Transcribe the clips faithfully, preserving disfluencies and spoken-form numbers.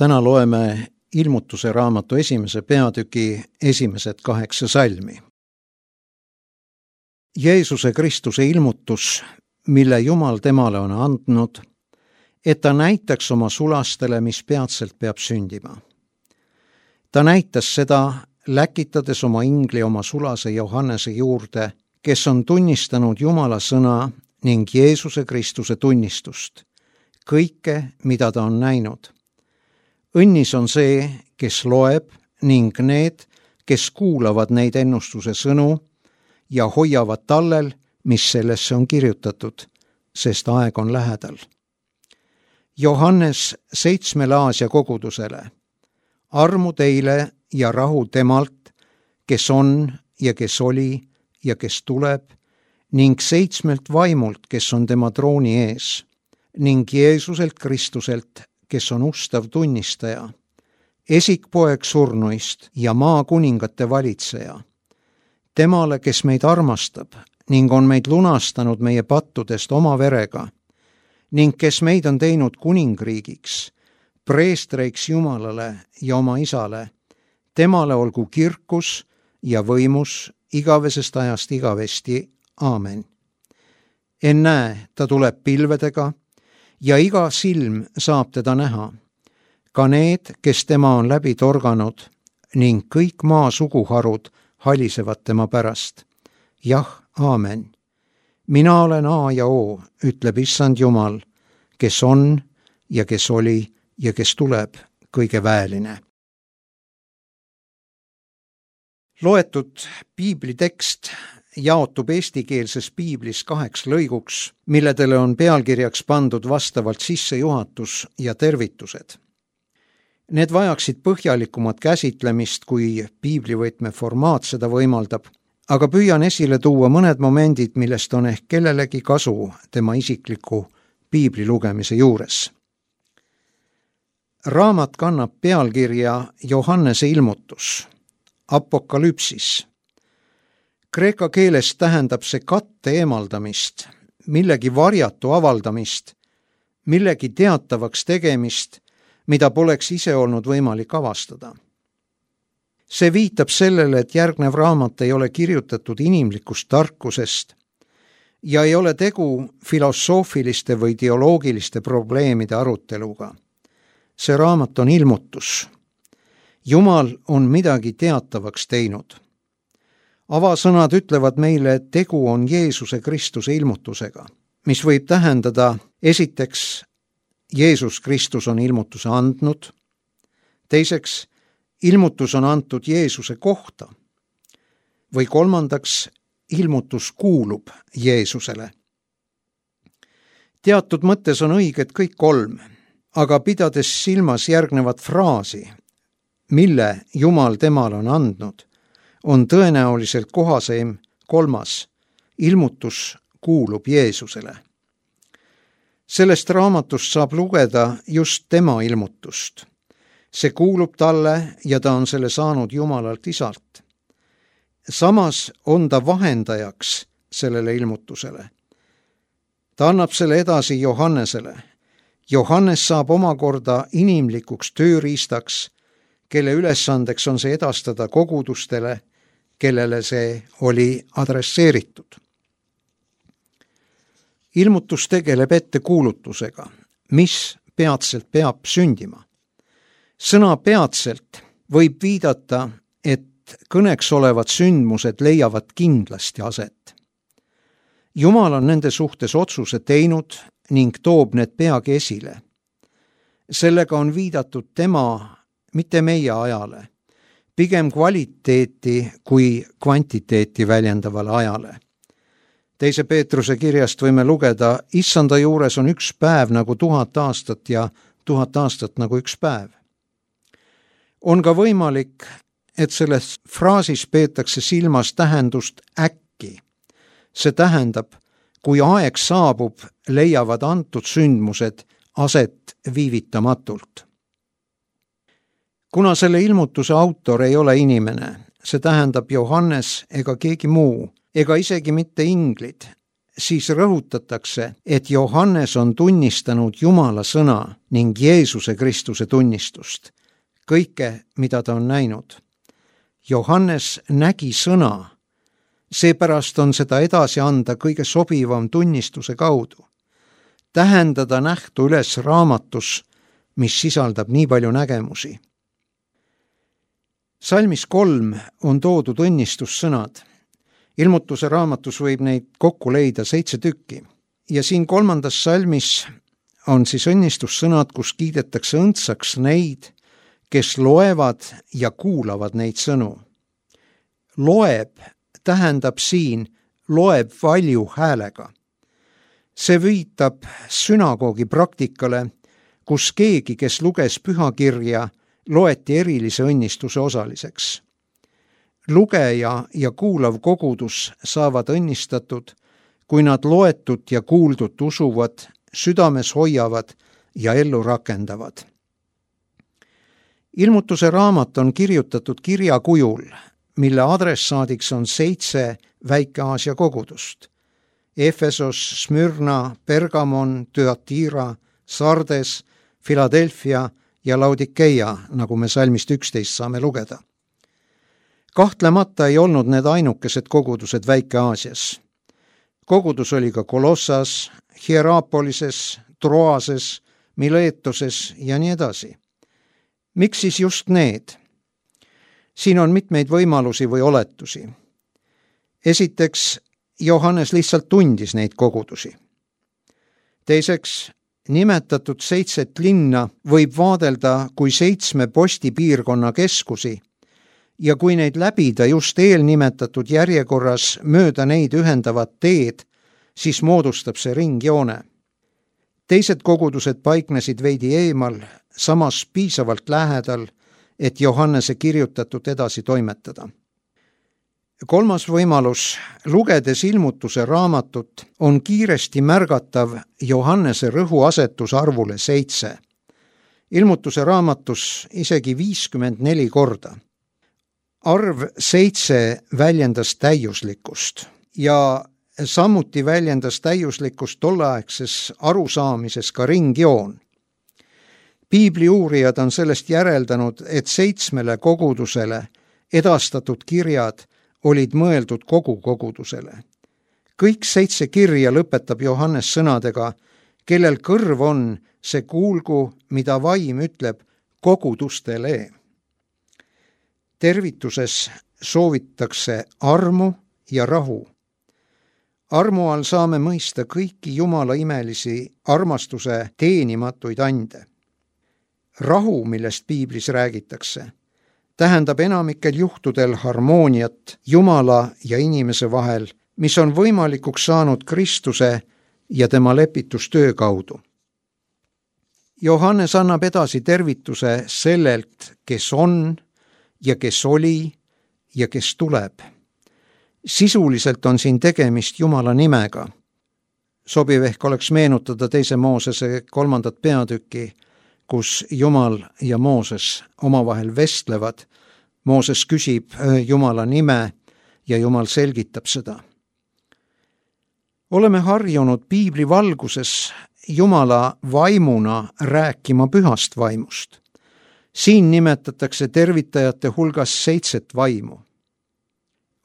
Täna loeme ilmutuse raamatu esimese peatüki esimesed kaheksa salmi. Jeesuse Kristuse ilmutus, mille Jumal temale on andnud, et ta näitaks oma sulastele, mis peatselt peab sündima. Ta näitas seda, läkitades oma ingli oma sulase Johannese juurde, kes on tunnistanud Jumala sõna ning Jeesuse Kristuse tunnistust, kõike, mida ta on näinud. Õnnis on see, kes loeb ning need, kes kuulavad neid ennustuse sõnu ja hoiavad tallel, mis sellesse on kirjutatud, sest aeg on lähedal. Johannes seitsmele Aasia kogudusele. Armu teile ja rahu temalt, kes on ja kes oli ja kes tuleb, ning seitsmelt vaimult, kes on tema trooni ees, ning Jeesuselt Kristuselt, kes on ustav tunnistaja, esikpoeg surnuist ja maakuningate valitseja. Temale, kes meid armastab ning on meid lunastanud meie pattudest oma verega ning kes meid on teinud kuningriigiks, preestreiks Jumalale ja oma Isale, temale olgu kirkus ja võimus igavesest ajast igavesti. Aamen. Ennäe, ta tuleb pilvedega ja iga silm saab teda näha, ka need, kes tema on läbi torganud, ning kõik maa suguharud halisevad tema pärast. Jah, aamen. Mina olen A ja O, ütleb Issand Jumal, kes on ja kes oli ja kes tuleb, kõige väeline. Loetud piiblitekst jaotub eestikeelses piiblis kaheks lõiguks, milledele on pealkirjaks pandud vastavalt sissejuhatus ja tervitused. Need vajaksid põhjalikumat käsitlemist, kui piiblivõtme formaat seda võimaldab, aga püüan esile tuua mõned momendid, millest on ehk kellelegi kasu tema isikliku piibli lugemise juures. Raamat kannab pealkirja Johannese ilmutus, apokalüpsis. Kreeka keeles tähendab see katte eemaldamist, millegi varjatu avaldamist, millegi teatavaks tegemist, mida poleks ise olnud võimalik avastada. See viitab sellele, et järgnev raamat ei ole kirjutatud inimlikust tarkusest ja ei ole tegu filosoofiliste või teoloogiliste probleemide aruteluga. See raamat on ilmutus. Jumal on midagi teatavaks teinud. Avasõnad ütlevad meile, et tegu on Jeesuse Kristuse ilmutusega, mis võib tähendada esiteks, Jeesus Kristus on ilmutuse andnud, teiseks, ilmutus on antud Jeesuse kohta või kolmandaks, ilmutus kuulub Jeesusele. Teatud mõttes on õiged kõik kolm, aga pidades silmas järgnevat fraasi, mille Jumal temale on andnud, on tõenäoliselt kohaseim kolmas, ilmutus kuulub Jeesusele. Sellest raamatust saab lugeda just tema ilmutust. See kuulub talle ja ta on selle saanud Jumalalt Isalt. Samas on ta vahendajaks sellele ilmutusele. Ta annab selle edasi Johannesele. Johannes saab omakorda inimlikuks tööriistaks, kelle ülesandeks on see edastada kogudustele, kellele see oli adresseeritud. Ilmutus tegeleb ettekuulutusega, mis peatselt peab sündima. Sõna peatselt võib viidata, et kõneks olevad sündmused leiavad kindlasti aset. Jumal on nende suhtes otsuse teinud ning toob need peagi esile. Sellega on viidatud tema, mitte meie ajale, pigem kvaliteeti kui kvantiteeti väljendavale ajale. Teise Peetruse kirjast võime lugeda, issanda juures on üks päev nagu tuhat aastat ja tuhat aastat nagu üks päev. On ka võimalik, et selles fraasis peetakse silmas tähendust äkki. See tähendab, kui aeg saabub, leiavad antud sündmused aset viivitamatult. Kuna selle ilmutuse autor ei ole inimene, see tähendab Johannes ega keegi muu, ega isegi mitte inglid, siis rõhutatakse, et Johannes on tunnistanud Jumala sõna ning Jeesuse Kristuse tunnistust, kõike, mida ta on näinud. Johannes nägi sõna, seepärast on seda edasi anda kõige sobivam tunnistuse kaudu. Tähendada nähtu üles raamatus, mis sisaldab nii palju nägemusi. Salmis kolm on toodud õnnistussõnad. Ilmutuse raamatus võib neid kokku leida seitse tükki. Ja siin kolmandas salmis on siis õnnistussõnad, kus kiidetakse õndsaks neid, kes loevad ja kuulavad neid sõnu. Loeb tähendab siin loeb valju häälega. See viitab sünagoogi praktikale, kus keegi, kes luges pühakirja, loeti erilise õnnistuse osaliseks. Lugeja ja kuulav kogudus saavad õnnistatud, kui nad loetut ja kuuldut usuvad, südames hoiavad ja ellu rakendavad. Ilmutuse raamat on kirjutatud kirja kujul, mille adressaadiks on seitse Väike-Aasia kogudust. Efesos, Smyrna, Pergamon, Thyatira, Sardes, Philadelphia ja Laodikeia, nagu me salmist üksteist saame lugeda. Kahtlemata ei olnud need ainukesed kogudused Väike-Aasias. Kogudus oli ka Kolossas, Hierapolises, Troases, Miletoses ja nii edasi. Miks siis just need? Siin on mitmeid võimalusi või oletusi. Esiteks, Johannes lihtsalt tundis neid kogudusi. Teiseks, nimetatud seitset linna võib vaadelda kui seitsme postipiirkonna keskusi ja kui neid läbida just eelnimetatud järjekorras mööda neid ühendavat teed, siis moodustab see ringjoone. Teised kogudused paiknesid veidi eemal, samas piisavalt lähedal, et Johannese kirjutatut edasi toimetada. Kolmas võimalus, lugedes ilmutuse raamatut, on kiiresti märgatav Johannese rõhuasetus arvule seitse. Ilmutuse raamatus isegi viiskümmend neli korda. Arv seitse väljendas täiuslikkust ja samuti väljendas täiuslikkust tolleaegses arusaamises ka ringjoon. Piibli uurijad on sellest järeldanud, et seitsmele kogudusele edastatud kirjad olid mõeldud kogu kogudusele. Kõik seitse kirja lõpetab Johannes sõnadega, kellel kõrv on, see kuulgu, mida vaim ütleb kogudustele. Tervituses soovitakse armu ja rahu. Armu all saame mõista kõiki Jumala imelisi armastuse teenimatuid ande. Rahu, millest Piiblis räägitakse, tähendab enamikel juhtudel harmooniat Jumala ja inimese vahel, mis on võimalikuks saanud Kristuse ja tema lepitustöö kaudu. Johannes annab edasi tervituse sellelt, kes on ja kes oli ja kes tuleb. Sisuliselt on siin tegemist Jumala nimega. Sobiv ehk oleks meenutada teise Moosese kolmandat peatükki, kus Jumal ja Mooses omavahel vestlevad. Mooses küsib Jumala nime ja Jumal selgitab seda. Oleme harjunud Piibli valguses Jumala vaimuna rääkima pühast vaimust. Siin nimetatakse tervitajate hulgas seitset vaimu.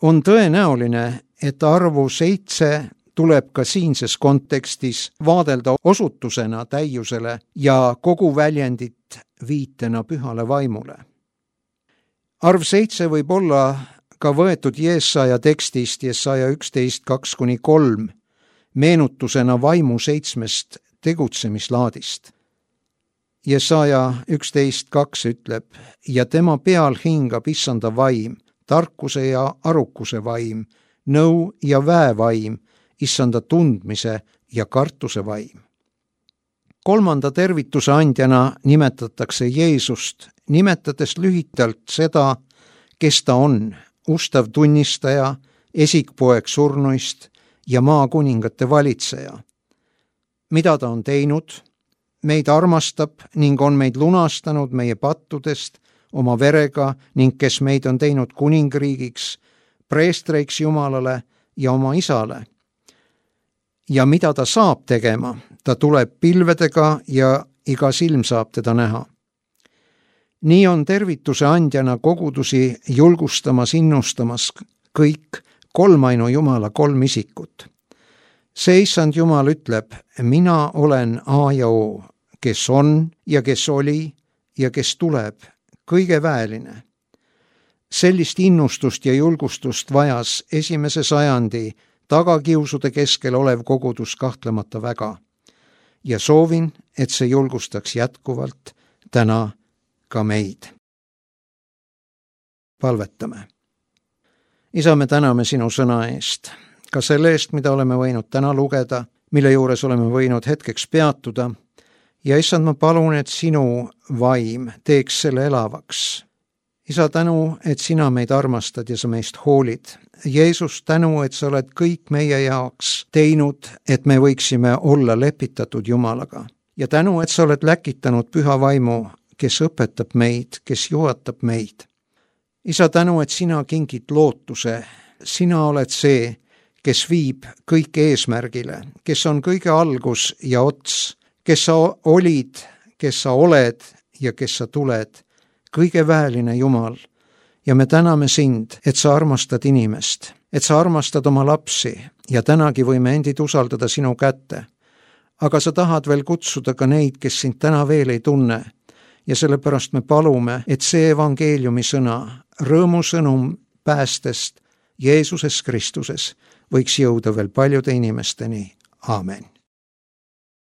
On tõenäoline, et arvu seitse tuleb ka siinses kontekstis vaadelda osutusena täiusele ja kogu väljendit viitena pühale vaimule. Arv seitse võib olla ka võetud Jesaja tekstist Jesaja üksteist kaks kuni kolm meenutusena vaimu seitsmest tegutsemislaadist. Jesaja üksteist kaks ütleb, ja tema peal hingab issanda vaim, tarkuse ja arukuse vaim, nõu ja väevaim, issanda tundmise ja kartuse vaim. Kolmanda tervituse andjana nimetatakse Jeesust, nimetades lühitalt seda, kes ta on, ustav tunnistaja, esikpoeg surnuist ja maakuningate valitseja. Mida ta on teinud? Meid armastab ning on meid lunastanud meie pattudest oma verega ning kes meid on teinud kuningriigiks, preestreiks Jumalale ja oma isale. ja mida ta saab tegema, ta tuleb pilvedega ja iga silm saab teda näha. Nii on tervituse andjana kogudusi julgustamas, innustamas kõik kolmainu Jumala kolm isikut. See issand Jumal ütleb, mina olen A ja O, kes on ja kes oli ja kes tuleb, kõige väeline. Sellist innustust ja julgustust vajas esimese sajandi tagakiusude keskel olev kogudus kahtlemata väga. Ja soovin, et see julgustaks jätkuvalt täna ka meid. Palvetame. Isa, me täname sinu sõna eest, ka selle eest, mida oleme võinud täna lugeda, mille juures oleme võinud hetkeks peatuda. Ja issand, ma palun, et sinu vaim teeks selle elavaks. Isa, tänu, et sina meid armastad ja sa meist hoolid. Jeesus, tänu, et sa oled kõik meie jaoks teinud, et me võiksime olla lepitatud Jumalaga. Ja tänu, et sa oled läkitanud püha vaimu, kes õpetab meid, kes juhatab meid. Isa, tänu, et sina kingid lootuse. Sina oled see, kes viib kõik eesmärgile, kes on kõige algus ja ots, kes sa olid, kes sa oled ja kes sa tuled. Kõige väeline Jumal, ja me täname sind, et sa armastad inimest, et sa armastad oma lapsi ja tänagi võime endid usaldada sinu kätte. Aga sa tahad veel kutsuda ka neid, kes sind täna veel ei tunne ja sellepärast me palume, et see evangeeliumi sõna, rõõmusõnum päästest Jeesuses Kristuses võiks jõuda veel paljude inimesteni. Aamen.